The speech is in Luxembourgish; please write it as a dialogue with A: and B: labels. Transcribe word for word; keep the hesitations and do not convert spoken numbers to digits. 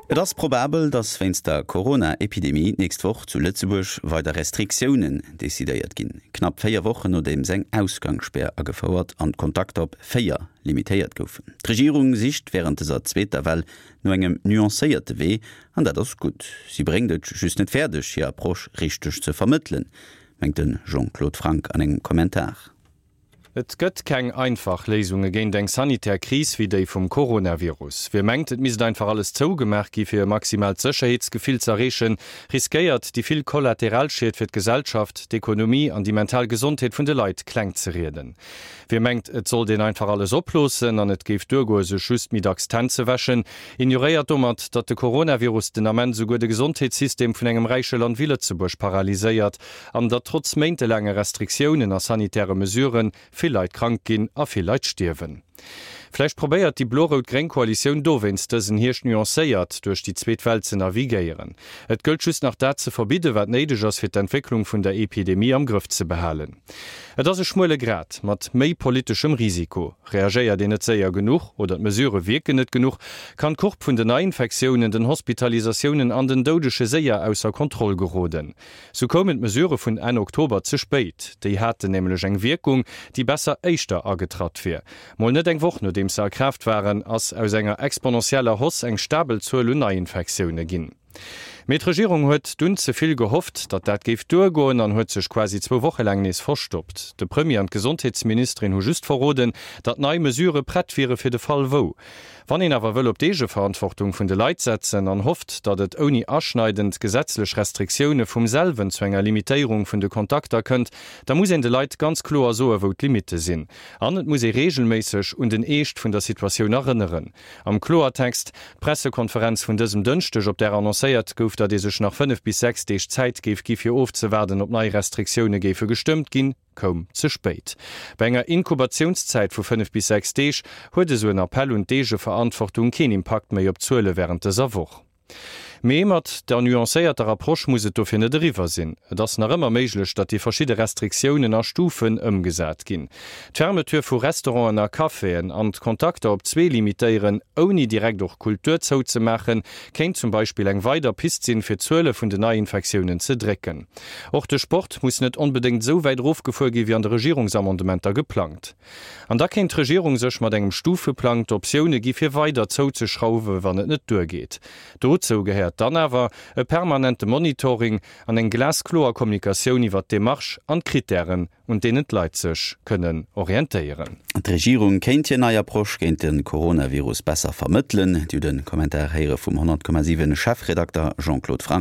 A: Et ass probabel, datt wéinst der Corona-Epidemie d'nächst Woch zu Lëtzebuerg weider Restriktiounen decidéiert ginn. Knapp véier Wochen nodeems eng Ausgangsspär agefouert an d'Kontakter op véier limitéiert goufen. D'Regierung sicht wärend dëser zweeter Well no engem nuancéierte Wee, an dat ass gutt. Si bréngt et just net fäerdeg, hir Approche richteg ze vermëttelen, mengt de Jean-Claude Franck an engem Kommentar.
B: Et gëtt keng einfach Léisunge géint eng sanitär Kris wéi déi vum Coronavirus. Wie mengt, et misst einfach alles zougemaach gi fir e maximaalt Sécherheetsgefill z'erreechen, riskéiert, déi vill Kollateralschied fir d'Gesellschaft, d'Ekonomie an déi mental Gesondheet vun de Leit kleng ze rieden. Wie mengt, et sollt een einfach alles oploossen an et géif duergoe sech just méi dacks d'Hänn ze wäschen, ignoréiert domat, datt de Coronavirus den Ament esouguer de Gesondheetssystem vun engem räiche Land wéi Lëtzebuerg paralyséiert an datt trotz méintelaange Restriktiounen a sanitäre Mesuren vill Leit krank ginn a vill Leit stierwen. Vläicht probéiert déi blo-rout-gréng Koalitioun dowéinst dësen Hierscht nuancéiert duerch déi zweet Well ze navigéieren. Et gëllt just nach dat ze verbidde wat néideg ass fir d'Entwécklung vun der Epidemie am Grëff ze behalen. Et ass e schmuele Grat mat méi politeschem Risiko. Reagéiert een net séier genuch oder d'Mesurë wierken net genuch, kann d'Courbe vun den Neiinfektiounen, den Hospitalisatiounen an den Doudege séier ausser Kontroll geroden. Sou koumen d'Mesurë vun Enn Oktober ze spéit. Déi haten nämlech eng Wierkung, déi besser éischter agetratt wier. Mol net eng Woch nodeems se a Kraaft waren, ass aus enger exponentieller Hausse eng stabel Zuel un Neiinfektioune ginn. Mee d'Regierung huet dunn ze vill gehofft, datt dat géif duergoen an huet sech quasi zwou Woche laang nees verstoppt. De Premier an d'Gesondheetsministerin hu just verroden, datt nei Mesurë prett wiere fir de Fall wou. Wann een awer wëll op d'Eegeverantwortung vun de Leit setzen an hofft, datt et ouni aschneidend gesetzlech Restriktioune vum selwen zu enger Limitéierung vun de Kontakter kënnt, da muss een de Leit ganz kloer soe wou d'Limitte sinn. An et muss ee reegelméisseg un den Eescht vun der Situatioun erënneren. Am Kloertext, D'Pressekonferenz vun dësem Dënschdeg, op där annoncéiert gouf, datt ee sech nach fënnef bis sechs Deeg Zäit géif gi fir ofzewaarden, ob nei Restriktioune géife gestëmmt ginn, koum ze spéit. Bei enger Inkubatiounszäit vu fënnef bis sechs Deeg huet esou en Appell un d'Eegeverantwortung keen Impakt méi op d'Zuele wärend dëser Woch. Mee mat der nuancéierter Approche muss et dofir net eriwwer sinn. Et ass nach ëmmer méiglech, datt déi verschidde Restriktiounen a Stufen ëmgesat ginn. D'Fermeture vu Restauranten a Caféen an d'Kontakter op zwee limitéieren, ouni direkt och Kultur zouzemaachen, kéint zum Beispill eng weider Pist sinn, fir d'Zuele vun den Neiinfektiounen ze drécken. Och de Sport muss net onbedéngt esou wäit erofgefuer gi wéi an de Regierungsamendementer geplangt. An da kéint d'Regierung sech mat engem Stufeplang d'Optioune gi fir weider zouzeschrauwe wann et net duergeet. Dozou gehéiert dann awer e permanente Monitoring an eng glaskloer Kommunikatioun iwwert d'Demarche an d'Krittären, un deenen d'Leit sech kënnen orientéieren.
A: D'Regierung kéint hir nei Approche géint de Coronavirus besser vermëttelen. Dir hutt de Kommentar héiere vum honnert Komma siwen Chefredakter Jean-Claude Franck.